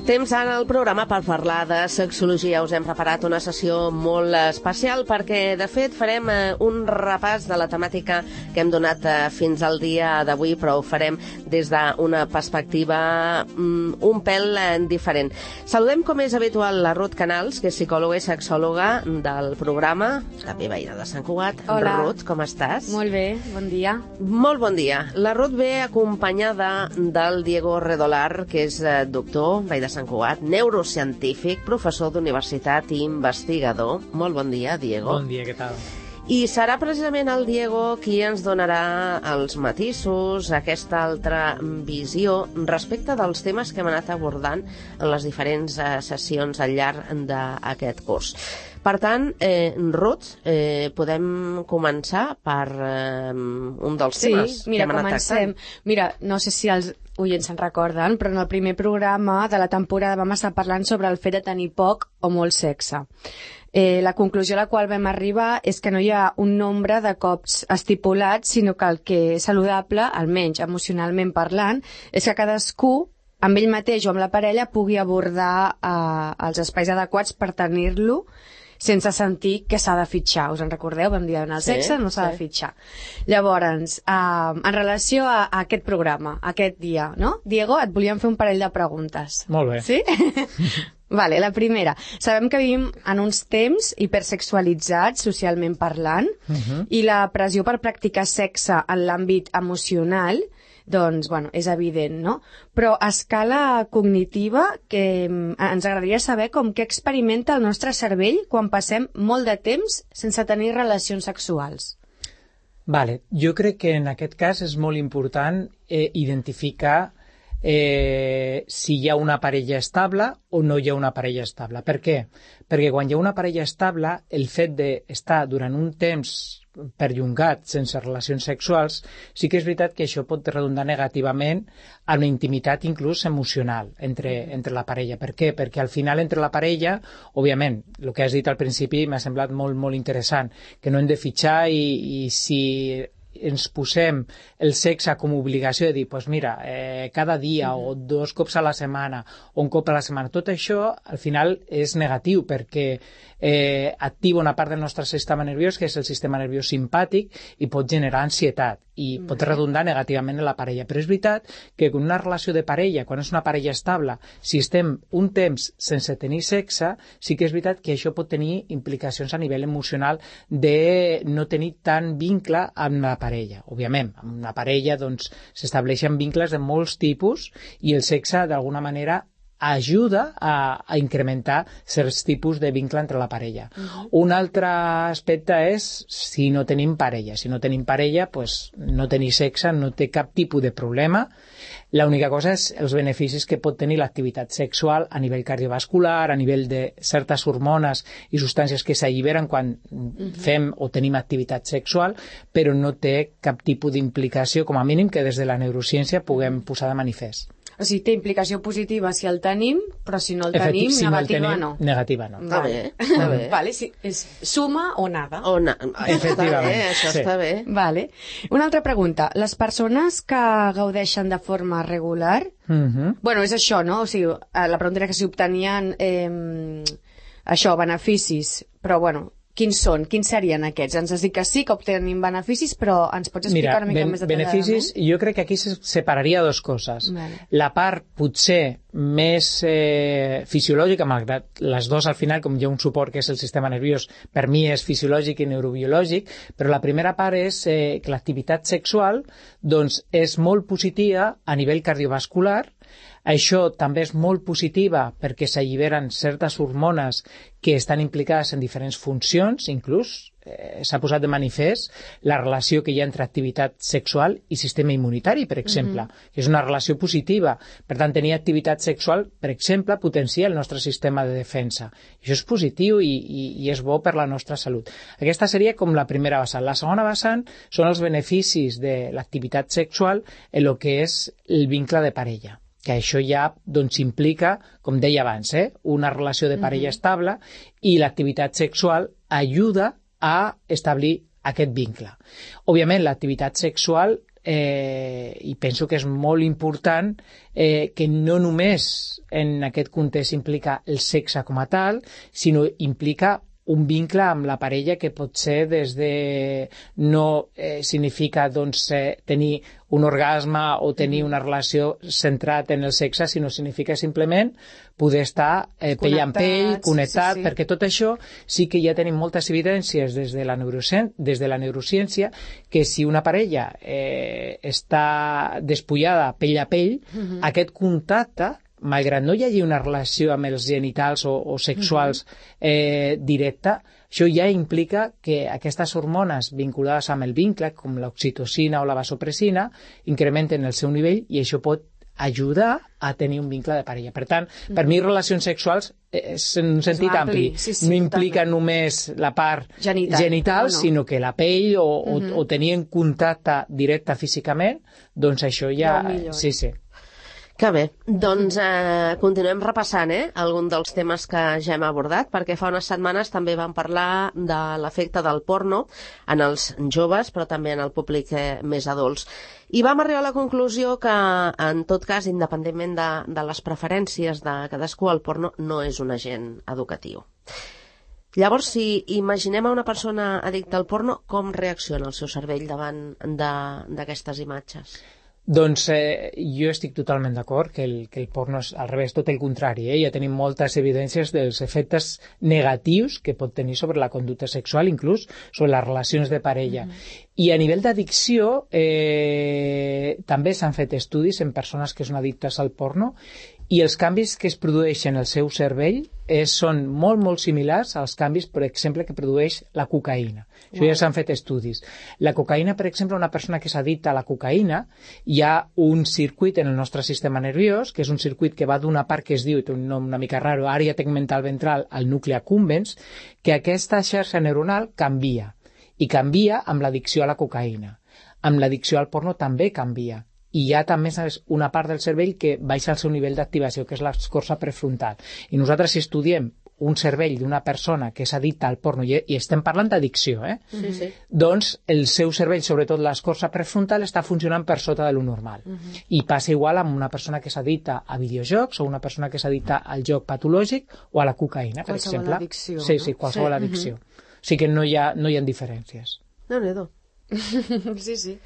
Temps en el programa per parlar de sexologia. Us hem preparat una sessió molt especial perquè, de fet, farem un repàs de la temàtica que hem donat fins al dia d'avui, però ho farem des d'una perspectiva un pèl diferent. Saludem, com és habitual, la Ruth Canals, que és psicòloga i sexòloga del programa, també veïna de Sant Cugat. Hola. Ruth, com estàs? Molt bé, bon dia. Molt bon dia. La Ruth ve acompanyada del Diego Redolar, que és doctor, veí de Sant Cugat, neurocientífic, professor d'universitat i investigador. Molt bon dia, Diego. Bon dia, què tal? I serà precisament el Diego qui ens donarà els matisos, aquesta altra visió respecte dels temes que hem anat abordant en les diferents sessions al llarg d'aquest curs. Per tant, Ruth, podem començar per un dels temes que hem anat tractant. Mira, no sé si els oients se'n recorden, però en el primer programa de la temporada vam estar parlant sobre el fet de tenir poc o molt sexe. La conclusió a la qual vam arribar és que no hi ha un nombre de cops estipulat, sinó que el que és saludable, almenys emocionalment parlant, és que cadascú, amb ell mateix o amb la parella, pugui abordar els espais adequats per tenir-lo sense sentir que s'ha de fitxar. Us en recordeu? Vam dir en el sexe no s'ha de fitxar. Llavors, en relació a aquest programa, aquest dia, no? Diego, et volíem fer un parell de preguntes. Molt bé. Sí? Vale, la primera. Sabem que vivim en uns temps hipersexualitzats, socialment parlant, i la pressió per practicar sexe en l'àmbit emocional, doncs, bueno, és evident, no? Però a escala cognitiva, que ens agradaria saber com què experimenta el nostre cervell quan passem molt de temps sense tenir relacions sexuals. Vale, jo crec que en aquest cas és molt important identificar si hi ha una parella estable o no hi ha una parella estable. Per què? Perquè quan hi ha una parella estable, el fet d'estar durant un temps perllongat sense relacions sexuals, sí que és veritat que això pot redundar negativament en la intimitat inclús emocional entre la parella. Per què? Perquè al final entre la parella, òbviament, el que has dit al principi m'ha semblat molt, molt interessant, que no hem de fitxar i si ens posem el sexe com a obligació de dir, pues mira, cada dia o 2 cops a la setmana o un cop a la setmana, tot això al final és negatiu perquè activa una part del nostre sistema nerviós que és el sistema nerviós simpàtic i pot generar ansietat i pot redundar negativament en la parella. Però és veritat que en una relació de parella, quan és una parella estable, si estem un temps sense tenir sexe, sí que és veritat que això pot tenir implicacions a nivell emocional de no tenir tant vincle amb la parella. Òbviament, amb una parella doncs, s'estableixen vincles de molts tipus i el sexe d'alguna manera ajuda a incrementar certs tipus de vincle entre la parella. Un altre aspecte és si no tenim parella. Si no tenim parella, pues, no tenir sexe no té cap tipus de problema. L'única cosa és els beneficis que pot tenir l'activitat sexual a nivell cardiovascular, a nivell de certes hormones i substàncies que s'alliberen quan fem o tenim activitat sexual, però no té cap tipus d'implicació, com a mínim que des de la neurociència puguem posar de manifest. O sigui, té implicació positiva si el tenim, però si no el tenim, negativa no. Negativa no. Està bé. Vale, sí, és suma o nada. Efectivament. Això està bé. Vale. Una altra pregunta. Les persones que gaudeixen de forma regular, bueno, és això, no? O sigui, la pregunta era que si obtenien això, beneficis, però bueno, quins són? Quins serien aquests? Ens has dit que sí, que obtenim beneficis, però ens pots explicar una mica més detalladament? Beneficis, jo crec que aquí se separaria dues coses. Vale. La part potser més fisiològica, malgrat les dues al final, com hi ha un suport que és el sistema nerviós, per mi és fisiològic i neurobiològic, però la primera part és que l'activitat sexual doncs, és molt positiva a nivell cardiovascular. Això també és molt positiva perquè s'alliberen certes hormones que estan implicades en diferents funcions, inclús s'ha posat de manifest la relació que hi ha entre activitat sexual i sistema immunitari, per exemple, que és una relació positiva. Per tant, tenir activitat sexual, per exemple, potencia el nostre sistema de defensa. Això és positiu i és bo per la nostra salut. Aquesta seria com la primera vessant. La segona vessant són els beneficis de l'activitat sexual en el que és el vincle de parella, que això ja doncs, implica, com deia abans, una relació de parella estable, i l'activitat sexual ajuda a establir aquest vincle. Òbviament, l'activitat sexual, i penso que és molt important, que no només en aquest context implica el sexe com a tal, sinó implica un vincle amb la parella que pot ser des de... no significa doncs, tenir un orgasme o tenir una relació centrat en el sexe, sinó significa simplement poder estar pell amb pell, connectat, sí. Perquè tot això sí que ja tenim moltes evidències des de la neurociència que si una parella està despullada pell a pell, aquest contacte, malgrat no hi hagi una relació amb els genitals o sexuals directa, això ja implica que aquestes hormones vinculades amb el vincle, com l'oxitocina o la vasopressina, incrementen el seu nivell i això pot ajudar a tenir un vincle de parella. Per tant, per mi relacions sexuals és en un sentit ampli. No implica només la part genital, sinó que la pell o tenir en contacte directe físicament, doncs això ja... Sí. Que bé, doncs continuem repassant algun dels temes que ja hem abordat, perquè fa unes setmanes també vam parlar de l'efecte del porno en els joves, però també en el públic més adults. I vam arribar a la conclusió que, en tot cas, independentment de les preferències de cadascú, el porno no és un agent educatiu. Llavors, si imaginem a una persona addicta al porno, com reacciona el seu cervell davant d'aquestes imatges? Doncs jo estic totalment d'acord que el porno és al revés, tot el contrari. Ja tenim moltes evidències dels efectes negatius que pot tenir sobre la conducta sexual, inclús sobre les relacions de parella. I a nivell d'addicció també s'han fet estudis en persones que són addictes al porno i els canvis que es produeixen al seu cervell són molt, molt similars als canvis, per exemple, que produeix la cocaïna. Això ja s'han fet estudis. La cocaïna, per exemple, una persona que s'addicta a la cocaïna, hi ha un circuit en el nostre sistema nerviós, que és un circuit que va d'una part que es diu, té un nom una mica raro, àrea tegmental ventral, al nucli accumbens, que aquesta xarxa neuronal canvia, i canvia amb l'addicció a la cocaïna. Amb l'addicció al porno també canvia. I hi ha també una part del cervell que baixa el seu nivell d'activació, que és l'escorça prefrontal. I nosaltres, si estudiem un cervell d'una persona que és addicta al porno, i estem parlant d'addicció, sí. Doncs el seu cervell, sobretot l'escorça prefrontal, està funcionant per sota de lo normal. I passa igual amb una persona que s'addicta a videojocs o una persona que s'addicta al joc patològic o a la cocaïna, per exemple. Addicció, sí, qualsevol addicció. O sigui que no hi ha diferències. Déu-n'hi-do. Sí.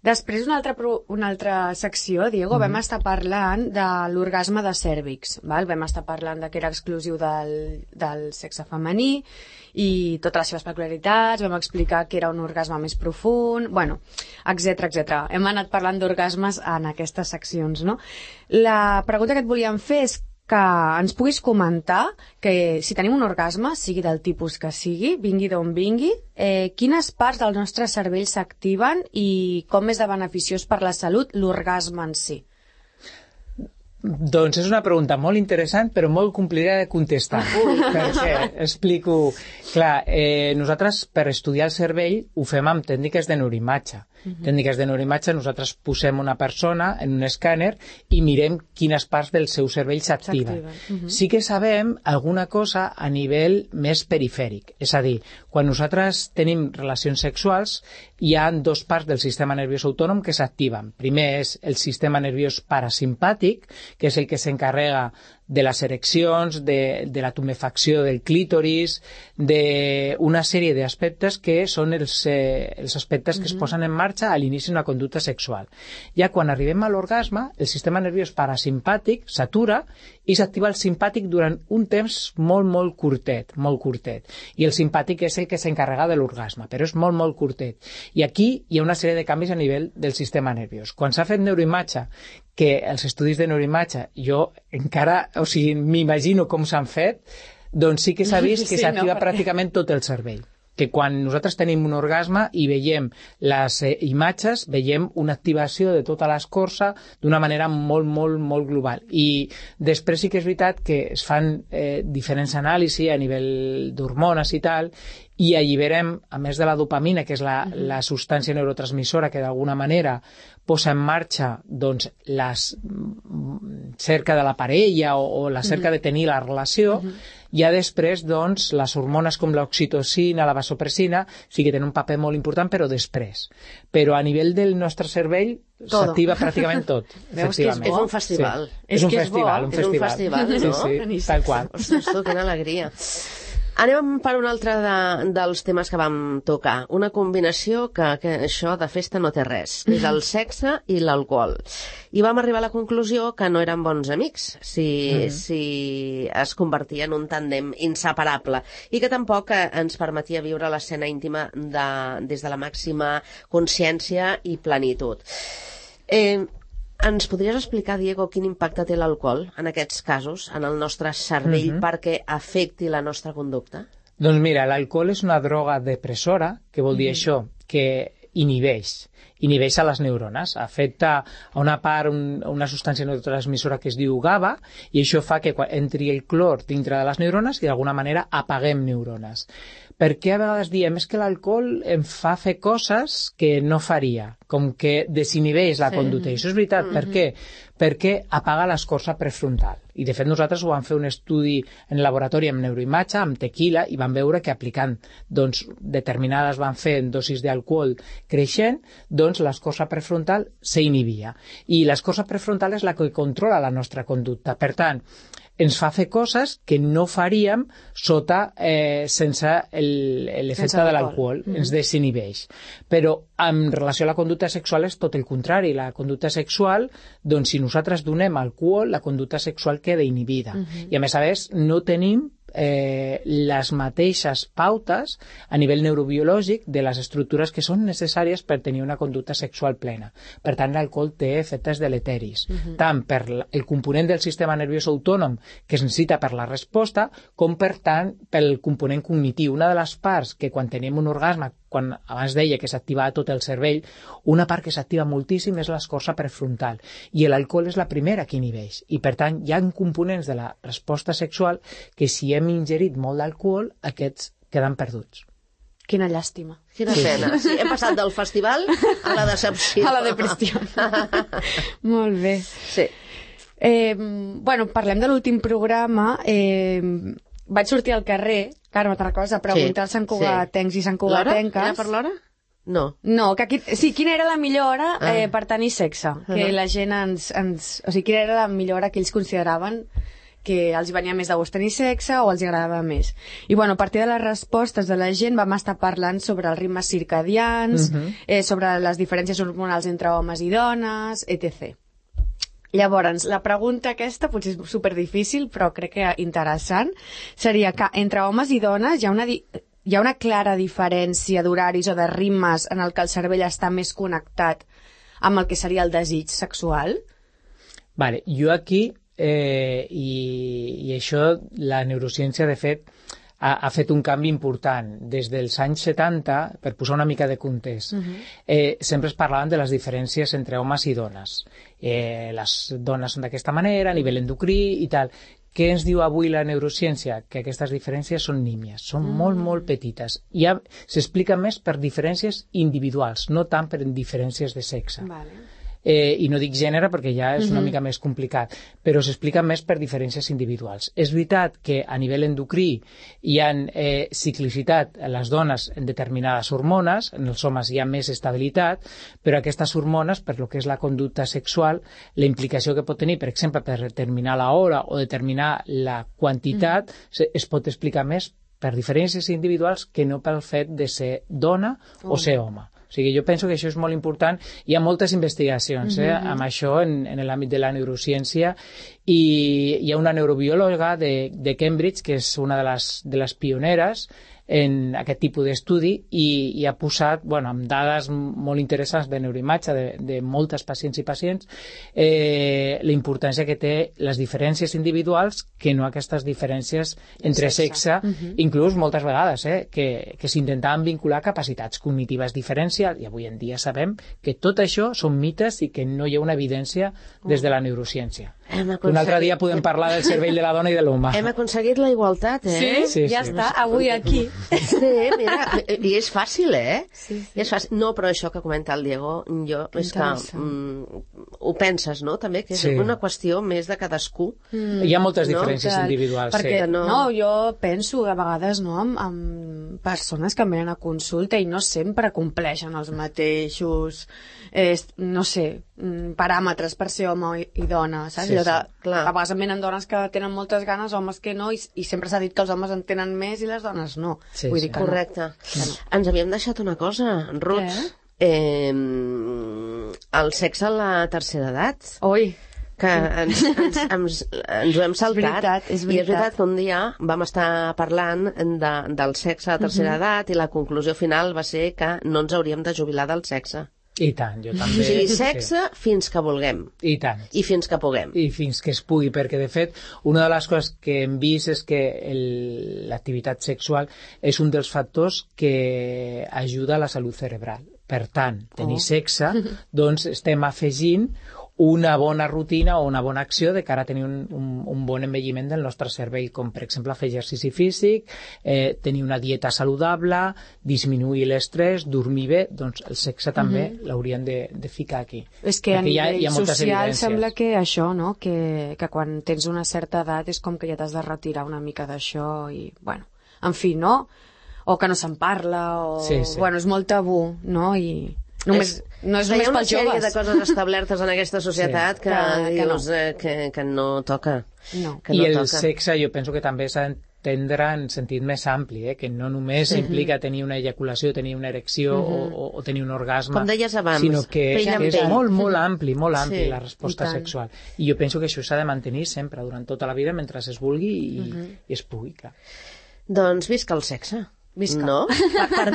Després, una altra secció, Diego, vam estar parlant de l'orgasme de cèrvix. Vam estar parlant que era exclusiu del sexe femení i totes les seves peculiaritats, vam explicar que era un orgasme més profund, etc. Hem anat parlant d'orgasmes en aquestes seccions, no? La pregunta que et volíem fer és que ens puguis comentar que si tenim un orgasme, sigui del tipus que sigui, vingui d'on vingui, quines parts del nostre cervell s'activen i com és de beneficiós per la salut l'orgasme en si? Doncs és una pregunta molt interessant però molt complicada de contestar. Perquè explico... Clar, nosaltres per estudiar el cervell ho fem amb tècniques de neuroimatge. Tècniques de neuroimatge, nosaltres posem una persona en un escàner i mirem quines parts del seu cervell s'activen. Sí que sabem alguna cosa a nivell més perifèric. És a dir, quan nosaltres tenim relacions sexuals hi ha dos parts del sistema nerviós autònom que s'activen. Primer és el sistema nerviós parasimpàtic, que és el que s'encarrega de les ereccions, de la tumefacció del clítoris, d'una sèrie d'aspectes que són els aspectes que es posen en marxa a l'inici d'una conducta sexual. Ja quan arribem a l'orgasme, el sistema nerviós parasimpàtic s'atura i s'activa el simpàtic durant un temps molt, molt curtet. I el simpàtic és el que s'encarrega de l'orgasme, però és molt, molt curtet. I aquí hi ha una sèrie de canvis a nivell del sistema nerviós. Quan s'ha fet neuroimatge, que els estudis de neuroimatge, jo encara, m'imagino com s'han fet, doncs sí que s'ha vist que s'activa pràcticament tot el cervell. que quan nosaltres tenim un orgasme i veiem les imatges, veiem una activació de tota l'escorça d'una manera molt, molt, molt global. I després sí que és veritat que es fan diferents anàlisis a nivell d'hormones i tal, i alliberem, a més de la dopamina, que és la substància neurotransmissora que d'alguna manera posa en marxa doncs, la cerca de la parella o la cerca de tenir la relació, ja després doncs, les hormones com l'oxitocina, la vasopressina, sí que tenen un paper molt important, però després. Però a nivell del nostre cervell s'activa pràcticament tot. Veus que és un festival. Sí. És un festival. És un festival, no? Sí, tal qual. Ostres, tu, quina alegria. Anem per un altre dels temes que vam tocar. Una combinació que això de festa no té res. És el sexe i l'alcohol. I vam arribar a la conclusió que no eren bons amics si es convertia en un tàndem inseparable i que tampoc ens permetia viure l'escena íntima des de la màxima consciència i plenitud. Ens podries explicar, Diego, quin impacte té l'alcohol en aquests casos, en el nostre cervell, perquè afecti la nostra conducta? Doncs mira, l'alcohol és una droga depressora, que vol dir això, que inhibeix a les neurones, afecta a una part, una substància neurotransmissora que es diu GABA, i això fa que entri el clor dintre de les neurones i d'alguna manera apaguem neurones. Per què a vegades diem és que l'alcohol em fa fer coses que no faria, com que desinhibeix la conducta. I això és veritat. Per què? Perquè apaga l'escorça prefrontal. I de fet nosaltres ho vam fer un estudi en laboratori amb neuroimatge, amb tequila, i vam veure que aplicant determinades van fer en dosis d'alcohol creixent, doncs l'escorça prefrontal s'inhibia. I l'escorça prefrontal és la que controla la nostra conducta. Per tant, ens fa fer coses que no faríem sense l'efecte de l'alcohol, ens desinhibeix. Però en relació a la conducta sexual és tot el contrari. La conducta sexual, doncs si nosaltres donem alcohol, la conducta sexual queda inhibida. I a més no tenim les mateixes pautes a nivell neurobiològic de les estructures que són necessàries per tenir una conducta sexual plena. Per tant, l'alcohol té efectes deleteris, tant per el component del sistema nerviós autònom que es necessita per la resposta, com per tant pel component cognitiu. Una de les parts que quan tenim un orgasme, quan abans deia que s'activava tot el cervell, una part que s'activa moltíssim és l'escorça prefrontal, i l'alcohol és la primera que inhibeix, i per tant hi ha components de la resposta sexual que si hem ingerit molt d'alcohol, aquests queden perduts. Quina llàstima. Quina pena. Sí, hem passat del festival a la decepció. A la depressió. Molt bé. Sí. Bueno, parlem de l'últim programa. Vaig sortir al carrer, Carme, te'n recordes, a preguntar als santcugatencs i santcugatenques. Era per l'hora? No. No, que aquí, sí, quina era la millor hora per tenir sexe? Que la gent o sigui, quina era la millor hora que ells consideraven que els venia més de gust tenir sexe o els agradava més. I bueno, a partir de les respostes de la gent vam estar parlant sobre els ritmes circadians, sobre les diferències hormonals entre homes i dones, etc. Llavors, la pregunta aquesta potser és superdifícil, però crec que interessant, seria que entre homes i dones hi ha una clara diferència d'horaris o de ritmes en el que el cervell està més connectat amb el que seria el desig sexual? Vale, jo aquí, i això la neurociència de fet ha fet un canvi important. Des dels anys 70, per posar una mica de context, sempre es parlaven de les diferències entre homes i dones. Les dones són d'aquesta manera, a nivell endocrí i tal. Què ens diu avui la neurociència? Que aquestes diferències són nímies, són molt, molt petites. Ja s'explica més per diferències individuals, no tant per diferències de sexe. Vale. I no dic gènere perquè ja és una mica més complicat, però s'explica més per diferències individuals. És veritat que a nivell endocrí hi ha ciclicitat a les dones en determinades hormones, en els homes hi ha més estabilitat, però aquestes hormones, per lo que és la conducta sexual, la implicació que pot tenir, per exemple, per determinar l'hora o determinar la quantitat, es pot explicar més per diferències individuals que no pel fet de ser dona o ser home. O sigui, jo penso que això és molt important. Hi ha moltes investigacions amb això en l'àmbit de la neurociència, i hi ha una neurobiòloga de Cambridge, que és una de les pioneres, en aquest tipus d'estudi i ha posat, amb dades molt interessants de neuroimatge de moltes pacients i pacients, la importància que té les diferències individuals que no aquestes diferències entre sexe, inclús moltes vegades, que s'intentaven vincular a capacitats cognitives diferencials, i avui en dia sabem que tot això són mites i que no hi ha una evidència des de la neurociència. Un altre dia podem parlar del cervell de la dona i de l'home. Hem aconseguit la igualtat, Sí, ja està, avui aquí. Sí, mira, i és fàcil, Sí. És fàcil. No, però això que comenta el Diego, és que ho penses, no?, també, que és una qüestió més de cadascú. Hi ha moltes diferències individuals, perquè, jo penso a vegades, amb persones que venen a consulta i no sempre compleixen els mateixos, paràmetres per ser home i dona, saps? A vegades venen dones que tenen moltes ganes, homes que no, i sempre s'ha dit que els homes en tenen més i les dones no. Vull dir que correcte. Ens havíem deixat una cosa, Ruth. El sexe a la tercera edat. Oi! Que ens ho hem saltat. És veritat. I és veritat que un dia vam estar parlant del sexe a la tercera edat i la conclusió final va ser que no ens hauríem de jubilar del sexe. I tant, jo també. O sigui, sexe fins que vulguem. I tant. I fins que puguem. I fins que es pugui, perquè de fet una de les coses que hem vist és que l'activitat sexual és un dels factors que ajuda a la salut cerebral. Per tant, tenir sexe, doncs estem afegint una bona rutina o una bona acció de cara a tenir un bon envelliment del nostre cervell, com per exemple fer exercici físic, tenir una dieta saludable, disminuir l'estrès, dormir bé, doncs el sexe també l'haurien de ficar aquí. És que a nivell social sembla que això, no?, que quan tens una certa edat és com que ja t'has de retirar una mica d'això i, en fi, no? O que no se'n parla, o... és molt tabú, no? I... no és només pels joves. Hi ha una sèrie de coses establertes en aquesta societat que dius que no toca. I el sexe jo penso que també s'ha d'entendre en sentit més ampli, que no només implica tenir una eyaculació, tenir una erecció o tenir un orgasme, com deies abans, sinó que és molt ampli la resposta sexual. I jo penso que això s'ha de mantenir sempre, durant tota la vida, mentre es vulgui i es pugui. Doncs visca el sexe. Visca. No? Per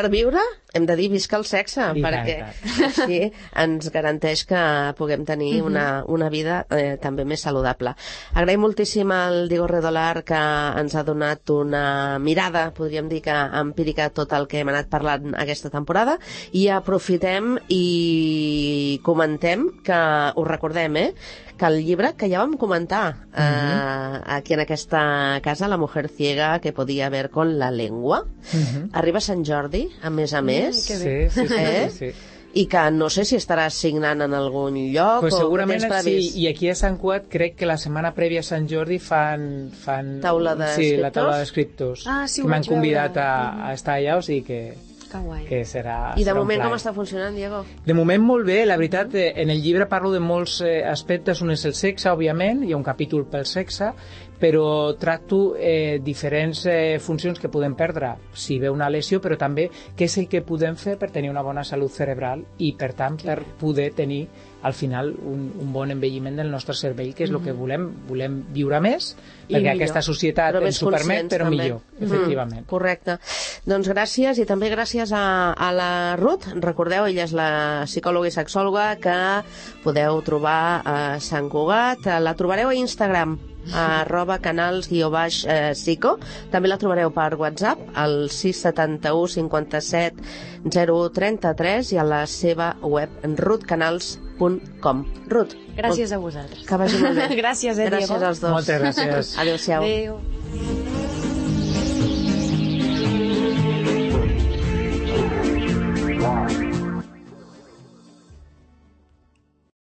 viure hem de dir visca el sexe, perquè així ens garanteix que puguem tenir una vida també més saludable. Agraïm moltíssim al Diego Redolar, que ens ha donat una mirada, podríem dir que empírica, tot el que hem anat parlant aquesta temporada, i aprofitem i comentem que us recordem, que el llibre que ja vam comentar aquí en aquesta casa, La mujer ciega que podía ver con la lengua, arriba a Sant Jordi, a més, sí. I que no sé si estarà signant en algun lloc, pues o segurament tens previst. Sí, i aquí a Sant Cugat crec que la setmana prèvia a Sant Jordi fan taula d'escriptors. Sí, la taula d'escriptors, sí, que m'han convidat a estar allà, o sigui que serà I de moment com està funcionant, Diego? De moment molt bé, la veritat, en el llibre parlo de molts aspectes. Un és el sexe, òbviament, hi ha un capítol pel sexe, però tracto diferents funcions que podem perdre si ve una lesió, però també què és el que podem fer per tenir una bona salut cerebral i, per tant, per poder tenir al final un bon envelliment del nostre cervell, que és el que volem viure més, perquè aquesta societat ens ho permet, però també. Millor, efectivament. Correcte. Doncs gràcies, i també gràcies a la Ruth. Recordeu, ella és la psicòloga i sexòloga que podeu trobar a Sant Cugat. La trobareu a Instagram, @canals_psico. També la trobareu per WhatsApp al 671 57 033 i a la seva web ruthcanals.com. Ruth, gràcies a vosaltres. Que vagi molt bé. Gràcies, Diego. Gràcies als dos. Moltes gràcies. Adéu-siau. Adéu.